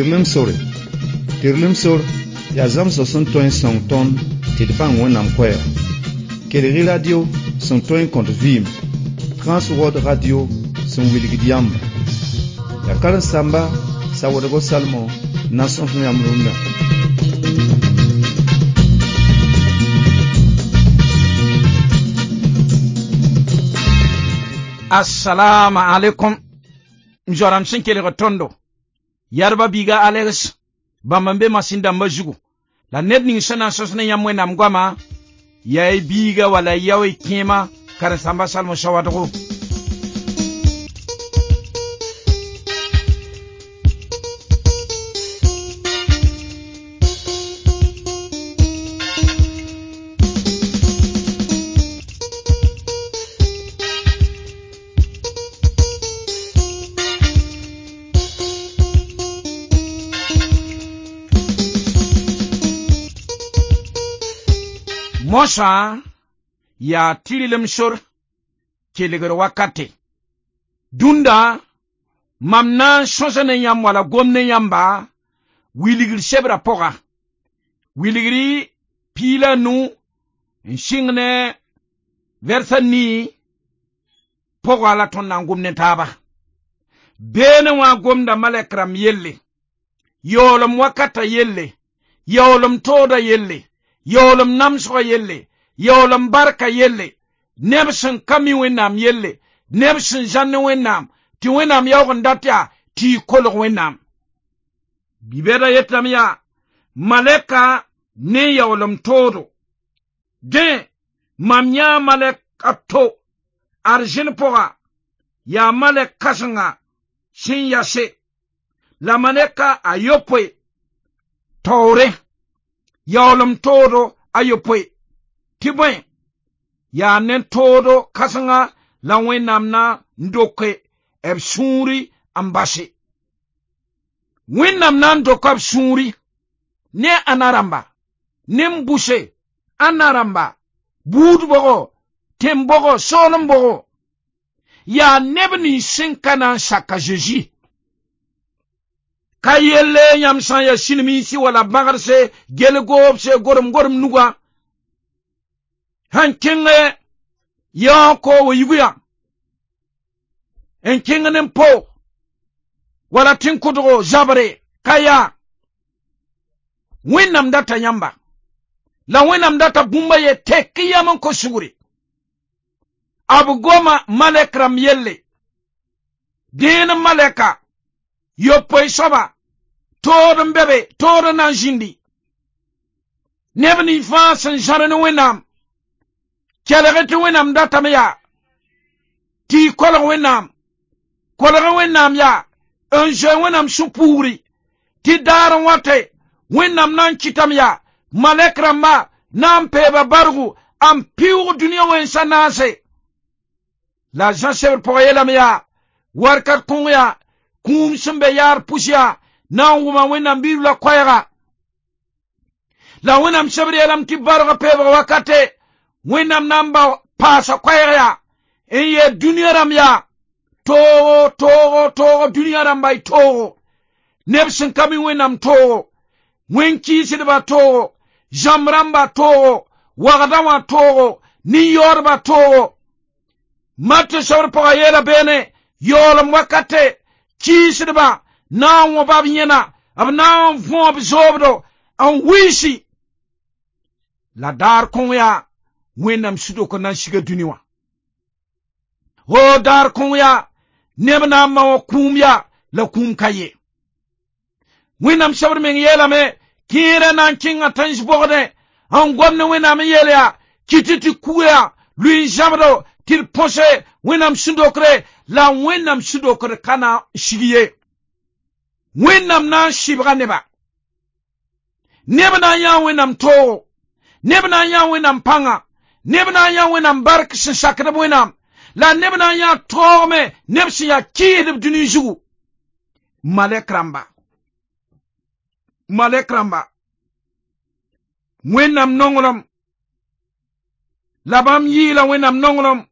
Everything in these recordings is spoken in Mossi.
Tɩrlem sore. Tɩrlem sor yaa zãmsg sẽn tõe n sõng tõnd tɩ d bãng Wẽnnaam koɛɛga. Kelg-y radio sẽn tõe n kõt vɩɩm, Transworld Radio sẽn wilgd yãmba. Yaa karen-saamba Sawadgo Salmon n na n sõs yãmb rũndã. Assalamu alaikum. M zoa-rãmb sẽn kelg tõndo. Yadba biiga Alex, bãmb n be masĩn dãmbã zugu. La ned ning sẽn na n sõs ne yãmb Wẽnnaam goama, yaa y biiga wala y yao y kẽema karen-saamba Salmo Sawadgo. Mosã yaa tɩrlem sor kelgr wakate. Dũnda mam na n sõsa ne yãmb wala gom ne yãmba wilgr sebrã pʋga. Wilgri piig la nu n sɩng ne vɛrsa nii pʋga la tõnd na n gom ne taaba. Beene wã gomda malɛk rãmb yelle, yaoolem wakata yelle, yaoolem tooda yelle, yaoolem namsgã yelle, yaoolem barka yelle, neb sẽn ka mi Wẽnnaam yelle, neb sẽn zãn ne Wẽnnaam, tɩ Wẽnnaam yaoog n dat yaa tɩ y kolg Wẽnnaam. Bi-bɛda yetame yaa malɛka ne yaoolem toodo. Dẽ mam yãa malɛk a to arzẽn pʋga, yaa malɛk kãsenga sẽn yase, la malɛka a yopoe taoore, yaoolem toodo a yopoe. Tɩ bõe yaa ne toodo kãsenga la Wẽnnaam na n doke b sũuri n base. Wẽnnaam na n doka b sũuri ne ãnna rãmba, ne n bʋse ãnna rãmba, buud bʋgo, tẽn bʋgo, soolem bʋgo. Yaa neb nins sẽn ka na n sak a Zeezi. Ka yelle yãmb sã n yaa sĩnemiisi wala bãgdse, gel-goobse, gorem-gorem nugã, sẽn kẽngẽ yaoog wa yigu yã, n kẽng ne n po wala tẽn-kʋdgo zabre ka yaa. Wẽnnaam data yãmba, la Wẽnnaam data bũmba ye tek yam n kos sugri. B goma malɛk rãmb yelle, dẽen malɛka yopoe soaba tood n be be, tood n na n zĩndi. Neb ning fãa sẽn zãr ne Wẽnnaam, kelg tɩ Wẽnnaam datame yaa tɩ y kolg Wẽnnaam, kolg Wẽnnaam yaa n zoe Wẽnnaam sũ-puugri, tɩ daar n wate Wẽnnaam na n kɩtame yaa malɛk rãmba na n peeba bargu n pɩʋʋg dũniyã wẽnsa naase. La Zã sebr pʋgã yeelame yaa warkat kõng yaa kũum sẽn be yaar pʋs yaa na n wʋma Wẽnnaam bi-ribla koɛɛga. La Wẽnnaam sebr yeelame tɩ bargã peebg wakate Wẽnnaam na n ba paasa koɛɛg yaa n yeel dũniyã rãmb yaa toogo toogo toogo dũniyã rãmba y toogo, neb sẽn ka mi Wẽnnaam toogo, wẽn-kɩɩsdbã toogo, zãmb rãmbã toogo, wagdã wã toogo, nin-yaoodbã toogo. Matɩ sebr pʋgã yeela beene yaoolem wakate kɩɩsdbã na n wõba b yẽna, b na n võo b zoobdo n wilsi. La daar kõng yaa Wẽnnaam sũ-dok n na n siga dũni wã. O daar kõng yaa neb na n ma wã kũum yaa la kũum ka ye. Wẽnnaam sebr meng yeelame kẽerã na n kẽnga tãns bogdẽ n gom ne Wẽnnaam n yeel yaa kɩtɩ tɩ kuga yaa lʋɩ n zãbdo tɩ d põse Wẽnnaam sũ-dokre, la Wẽnnaam sũ-dokr ka na n sig ye. Wẽnnaam na n sɩbga neba. Neb na n yãa Wẽnnaam toogo, neb na n yãa Wẽnnaam pãnga, neb na n yãa Wẽnnaam bark sẽn sakd b Wẽnnaam, la neb na n yãa toogme neb sẽn yaa kɩɩsdb dũni zugu. Malɛk rãmba, malɛk rãmba, Wẽnnaam nonglem, la bãmb yɩɩla Wẽnnaam nonglem.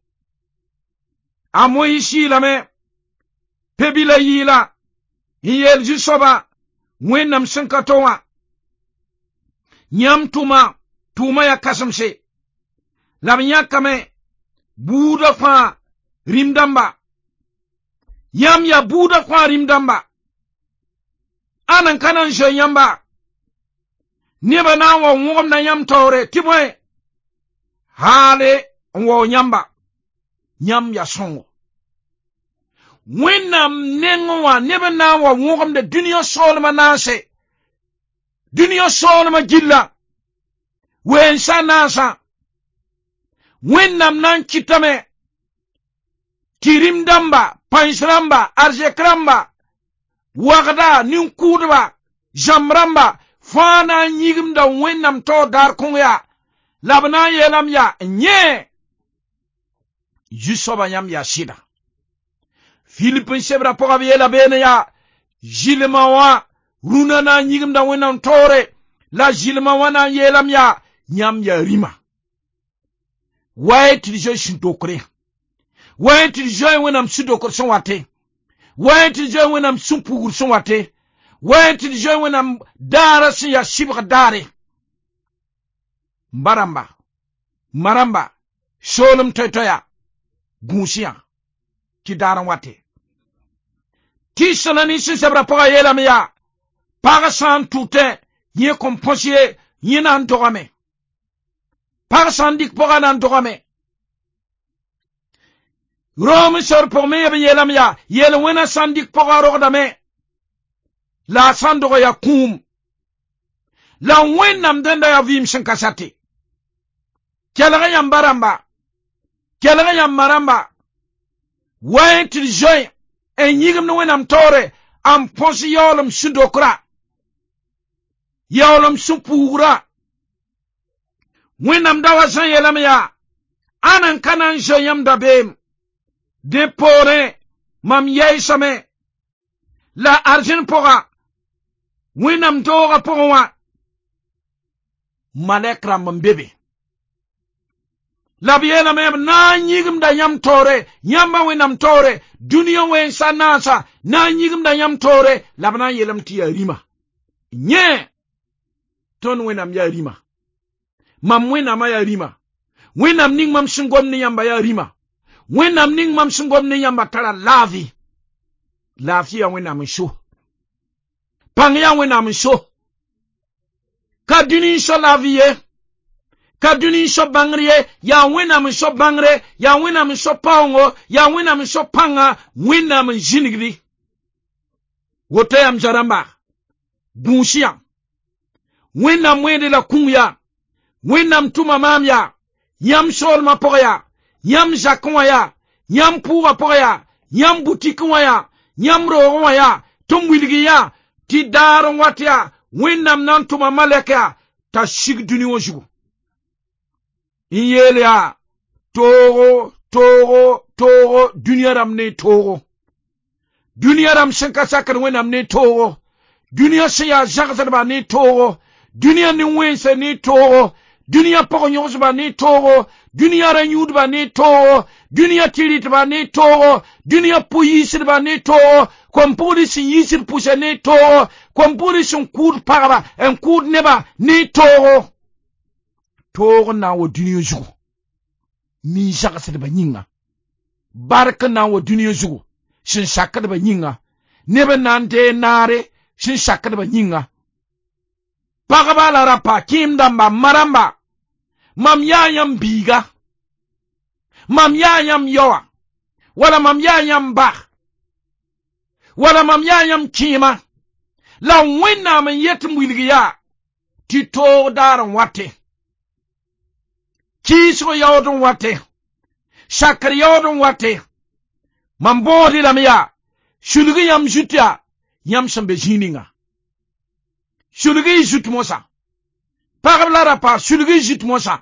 A Moyiis yɩɩlame, pe-bilã yɩɩla n yeel Zu-soaba Wẽnnaam sẽn ka to wã yãmb tʋma tʋʋma yaa kãsemse la b yãkame buudã fãa rĩm dãmba yãmb yaa buudã fãa rĩm dãmba ãn n ka na n zoe yãmba nebã na n wa wõgemda yãmb taoore tɩ bõe haale n wao yãmba yãmb yaa sõngo Wẽnnaam nengẽ wã neb n na n wa wõgemda dũniyã soolmã naase dũniyã soolmã gilla weensa naasã Wẽnnaam na n kɩtame tɩ rĩm dãmba pãens rãmba arzɛk rãmba wagda nin-kʋʋdba zãmb rãmba fãa na n yĩgimda Wẽnnaam taoor daar kõng yaa la b na n yeelame yaa yẽ zu-soabã yãmb yaa sɩda Filip n sebra pʋga b yeela beene yaa zɩlmã wã rũnã na n yĩgimda Wẽnnaam taoore la zɩlmã wã na n yeelame yaa yãmb yaa rĩma wa y tɩ d zoe sũ-dokre wa y tɩ d zoe Wẽnnaam sũ-dokr sẽn wate wa y tɩ d zoe Wẽnnaam sũ-pugr sẽn wate wa y tɩ d zoe Wẽnnaam daara sẽn yaa sɩbg daare m ba rãmba ma rãmba soolem toay-toaya gũus yã tɩ daar n wate tɩ sẽla nin sẽn sebra pʋga yeelame yaa pag sã n tʋtẽ yẽ kõn põs ye yẽ na n dogame pag sã n dɩk pʋga na n dogame Rom sor pʋg me b yeelame yaa yel wẽna sã n dɩk pʋga rogdame la a sã n dog yaa kũum la Wẽnnaam dẽnda yaa vɩɩm sẽn ka sate kelg yãmba rãmba kelg yãmba rãmba wa y tɩ d zoe n yĩgimd Wẽnnaam taoore n põs yaoolem sũ-dokra yaoolem sũ-puugra Wẽnnaam da wa sã n yeelame yaa ãn n ka na n zoe yãmb dabeem dẽ poorẽ mam yɛɛsame la arzẽn pʋga Wẽnnaam doogã pʋgẽ wã malɛk rãmb n be be la b yeelame b na n yĩgimda yãmb taoore yãmba Wẽnnaam taoore dũniyã wẽnsa naasa na n yĩgimda yãmb taoore la b na n yeelame tɩ yaa rĩma yẽ tõnd Wẽnnaam yaa rĩma mam Wẽnnaamã yaa rĩma Wẽnnaam ning mam sẽn gom ne yãmba yaa rĩma Wẽnnaam ning mam sẽn gom ne yãmba tara laafi laafɩ yaa Wẽnnaam n so pãng yaa Wẽnnaam n so ka dũni n so laafi ye ka dũni n so bãngr ye yaa Wẽnnaam n so bãngre yaa Wẽnnaam n so paoongo yaa Wẽnnaam n so pãnga Wẽnnaam n zĩnigdi woto yam zoa-rãmba gũus yã Wẽnnaam wẽede la kũng yaa Wẽnnaam tʋma maam yaa yãmb soolmã pʋgã yaa yãmb zakẽ wã yaa yãmb pʋʋgã pʋgã yaa yãmb butikẽ wã yaa yãmb roogẽ wã yaa tɩ m wilg yã tɩ daar n wat yaa Wẽnnaam na n tʋma malɛk yaa t'a sig dũni wã zugu n yeel yaa toogo toogo toogo dũniyã rãmb ne toogo dũniyã rãmb sẽn ka sakd Wẽnnaam ne toogo dũniyã sẽn yaa zãgsdba ne toogo dũniyã nin-wẽnse ne toogo dũniyã pʋg-yõgsba ne toogo dũniyã ra-yũudba ne toogo dũniyã tɩ-rɩtba ne toogo dũniyã pʋ-yiisdba ne toogo kom-pugd sẽn yiisd pʋsã ne toogo kom-pugd sẽn kʋʋd pagba n kʋʋd nebã ne toogo toog n na n wa dũniyã zugu nin-zagsdbã yĩnga bark n na n wa dũniyã zugu sẽn sakdbã yĩnga neb n na n deeg naare sẽn sakdbã yĩnga pagba la rapa kẽem dãmba ma rãmba mam yaa yãmb biiga mam yaa yãmb yaoa wala mam yaa yãmb ba wala mam yaa yãmb kẽema la Wẽnnaam n yet n wilg yaa tɩ toog daar n wate kɩɩsg yaood n wate sakr yaood n wate mam bõosd lame yaa sulg yãmb zut yaa yãmb sẽn be zĩig ninga sulg y zut mosã pagb la rapa sulg y zut mosã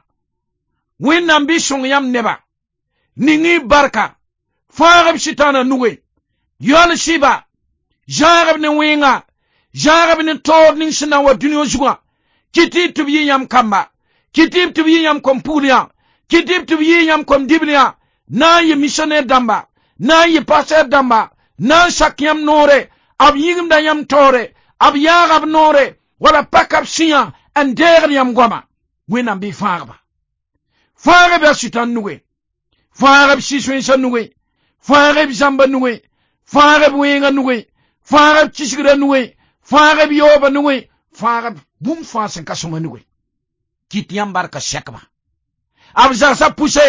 Wẽnnaam bɩ sõng yãmb neba ning y barka fãag b sɩtãana nugẽ yaool sɩba zãag b ne wẽnga zãag b ne taoor ning sẽn na n wa dũniyã zugã kɩt y tɩ b yɩ yãmb kamba kɩt y tɩ b yɩ yãmb kom-pugl yã kɩt y tɩ b yɩ yãmb kom-dibl yã na n yɩ missionnaire dãmba na n yɩ pasteur dãmba na n sak yãmb noore b yĩgimda yãmb taoore B yaaga b noore wala paka b sũyã n deegd yãmb goama. Wẽnnaam bɩ fãagba. Fãag b yaa sʋtãn nugẽ, fãag b sɩ-sõensã nugẽ, fãag b zãmba nugẽ, fãag b wẽengã nugẽ, fãag b kisgrã nugẽ, fãag b yaoobã nugẽ, fãag b bũmb fãa sẽn ka sõma nugẽ. Kɩt yãmb barka sɛkba. B zagsã pʋse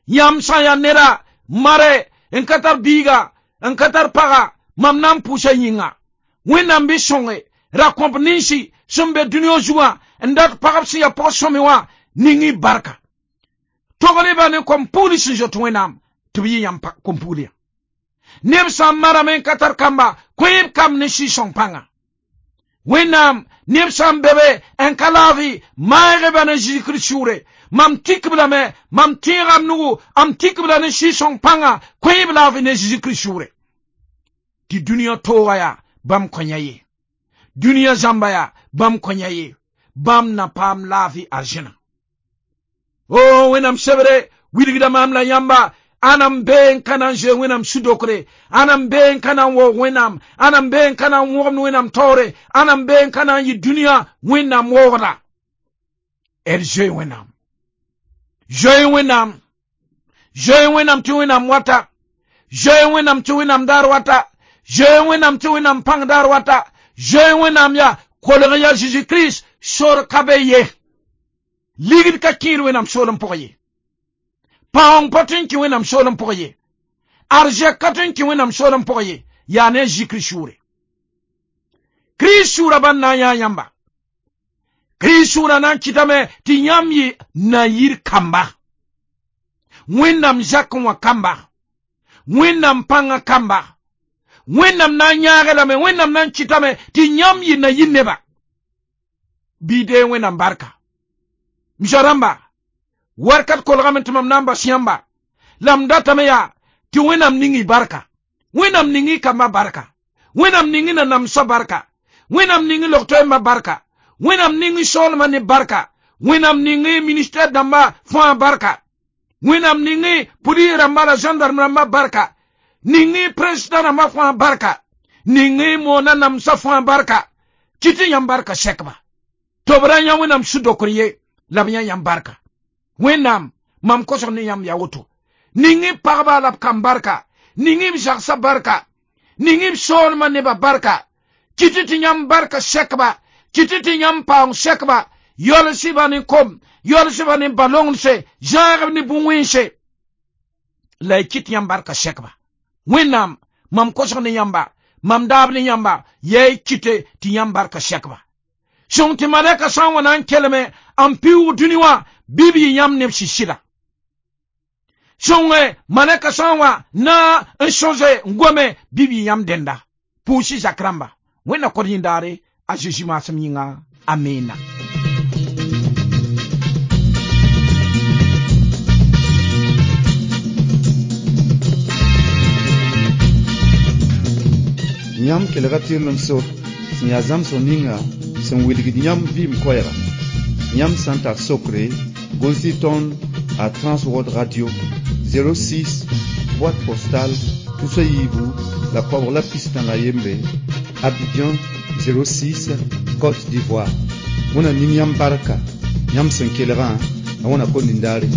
yãmb sã n yaa neda mare n ka tar biiga n ka tar paga, mam na n pʋʋsa yĩnga. Wẽnnaam bɩ sõnge ra kõp ninsi sẽn be dũniyã zugã n dat pagb sẽn yaa pag sõme wã ning y barka. Togl-y-ba ne kom-pugl sẽn zoet Wẽnnaam tɩ b yɩ yãmb kom-pugl yã. Neb sã n marame n ka tar kamba, kõ-y b kamb ne sɩ-sõng pãnga. Wẽnnaam neb sã n be be n ka laafɩ, maag-y-ba ne Zeezi Kirist sʋʋre. Mam tik-b lame, mam tẽega m nugu, m tik-b la ne sɩ-sõng pãnga, kõ-y b laafɩ ne Zeezi Kirist sʋʋre. Tɩ dũniyã tooga yaa bãmb kõ yã ye. Dũniyã zãmba yaa bãmb kõ yã ye. Bãmb na paam laafɩ arzẽna. O Wẽnnaam sebre wilgda maam la yãmba, ãna n bee n ka na n zoe Wẽnnaam su-dokre, ãna n bee n ka na n waoog Wẽnnaam, ãna n bee n ka na n wõgemd Wẽnnaam taoore, ãna n bee n ka na n yɩ dũniyã Wẽnnaam waoogda. D zoe Wẽnnaam. Zoe Wẽnnaam. Zoe Wẽnnaam tɩ Wẽnnaam wata. Zoe Wẽnnaam tɩ Wẽnnaam daar wata. Zoe Wẽnnaam tɩ Wẽnnaam pãng daar wata. Zoe Wẽnnaam yaa kolg ya Zeezi Kirist sor ka be ye. Ligd ka kẽed Wẽnnaam soolem pʋgẽ ye. Paoong pa tõe n kẽ Wẽnnaam soolem pʋgẽ ye. Arzɛk ka tõe n kẽ Wẽnnaam soolem pʋgẽ ye. Yaa ne a Zeezi Kirist sʋʋre. Kirist sʋʋra bãn na n yaa yãmba. Kirist sʋʋra na n kɩtame tɩ yãmb yɩ na-yir kamba. Wẽnnaam zakẽ wã kamba. Wẽnnaam pãngã kamba. Wẽnnaam na n yãag lame, Wẽnnaam na n kɩtame tɩ yãmb yɩ na-yir neba. Bɩ deeg Wẽnnaam barka. M zoa-rãmba, warkat kolgame tɩ mam na n bas yãmba. La m datame yaa tɩ Wẽnnaam ning y barka. Wẽnnaam ning y kambã barka. Wẽnnaam ning y nanamsã barka. Wẽnnaam ning y log-toɛɛmbã barka. Wẽnnaam ning y soolmã ne barka. Wẽnnaam ning y ministɛr dãmbã fãa barka. Wẽnnaam ning y pʋlis rãmba la gendarme rãmbã barka. Ning y président rãmbã fãa barka. Ning y moonã namsã fãa barka. Kɩt tɩ yãmb barka sɛkba. Tɩ b ra yã Wẽnnaam su-dokr ye la b yã yãmb barka. Wẽnnaam mam kosg ne yãmb yaa woto. Ning y pagba la b kam barka. Ning y b zagsã barka. Ning y b soolmã nebã barka. Kɩt tɩ yãmb barka sɛkba. Kɩt tɩ yãmb paoong sɛkba. Yɔls-y-ba ne kom, yɔls-y-ba ne balonglse, zãagb ne bũn-wẽnse. La y kɩt yãmb barka sɛkba. Wẽnnaam mam kosg ne yãmba, mam daab ne yãmba, yaa y kɩte tɩ yãmb barka sɛkba. Sõng tɩ malɛka sã n wa na n kelme n pɩʋʋg dũni wã bɩ b yɩ yãmb neb sɩsɩda. Sõnge malɛka sã n wa na n sõse n gome bɩ b yɩ yãmb dẽnda. Pʋʋs-y zak rãmba. Wẽnna kod yĩndaare a Zeezi maasem yĩnga. Amina. Yãmb kelga tɩrlem sor sẽn yaa zãmsg ninga sẽn wilgd yãmb vɩɩm koɛɛga. Yãmb sã n tar sokre, gʋls-y tõnd a Transworld Radio 06 boîte postale tusa yiibu la koabg la pistã la yembre, Abidjan 06, Côte d'Ivoire. Wẽnna ning yãmb barka yãmb sẽn kelgã, la wẽnna kõn nindaare.